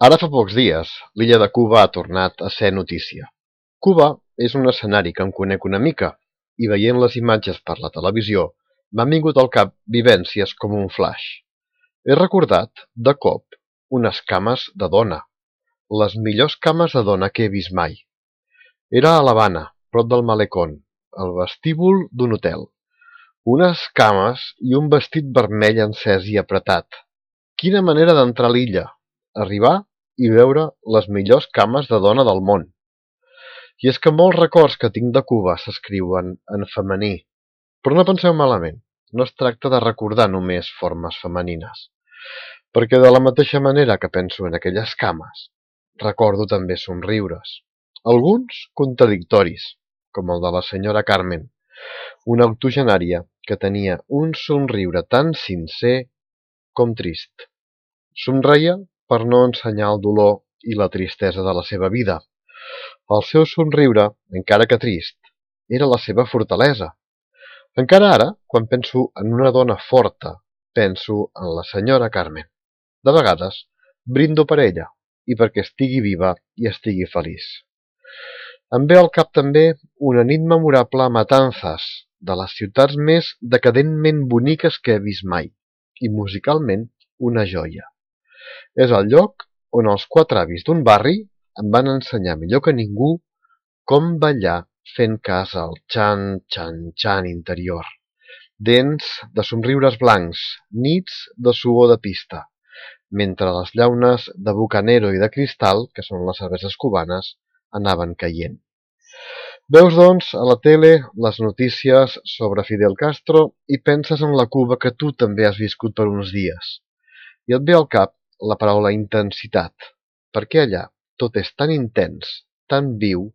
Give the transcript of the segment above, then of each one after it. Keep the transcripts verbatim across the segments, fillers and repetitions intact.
Ara fa pocs dies, l'illa de Cuba ha tornat a ser notícia. Cuba és un escenari que en conec una mica, i veient les imatges per la televisió m'han vingut al cap vivències com un flaix. He recordat, de cop, unes cames de dona, les millors cames de dona que he vist mai. Era a l'Havana, prop del Malecón, al vestíbul d'un hotel. Unes cames i un vestit vermell encès i apretat. Quina manera d'entrar a l'illa, arribar i veure les millors cames de dona del món. I és que molts records que tinc de Cuba s'escriuen en femení. Però no penseu malament, no es tracta de recordar només formes femenines. Perquè de la mateixa manera que penso en aquelles cames, recordo també somriures. Alguns contradictoris, com el de la senyora Carmen, una octogenària que tenia un somriure tan sincer com trist. Somreia per no ensenyar el dolor i la tristesa de la seva vida. El seu somriure, encara que trist, era la seva fortalesa. Encara ara, quan penso en una dona forta, penso en la senyora Carmen. De vegades, brindo per ella i perquè estigui viva i estigui feliç. Em ve al cap també una nit memorable a Matanzas, de les ciutats més decadentment boniques que he vist mai, i musicalment una joia. És el lloc on els quatre avis d'un barri em van ensenyar millor que ningú com ballar fent cas al xan-xan-xan interior. Dents de somriures blancs, nits de suor de pista, mentre les llaunes de Bucanero i de Cristal, que són les cerveses cubanes, anaven caient. Veus, doncs, a la tele les notícies sobre Fidel Castro i penses en la Cuba que tu també has viscut per uns dies. I et ve al cap la paraula intensitat, perquè allà tot és tan intens, tan viu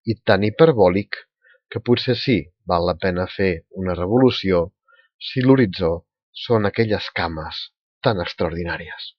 i tan hiperbòlic que potser sí val la pena fer una revolució si l'horitzó són aquelles cames tan extraordinàries.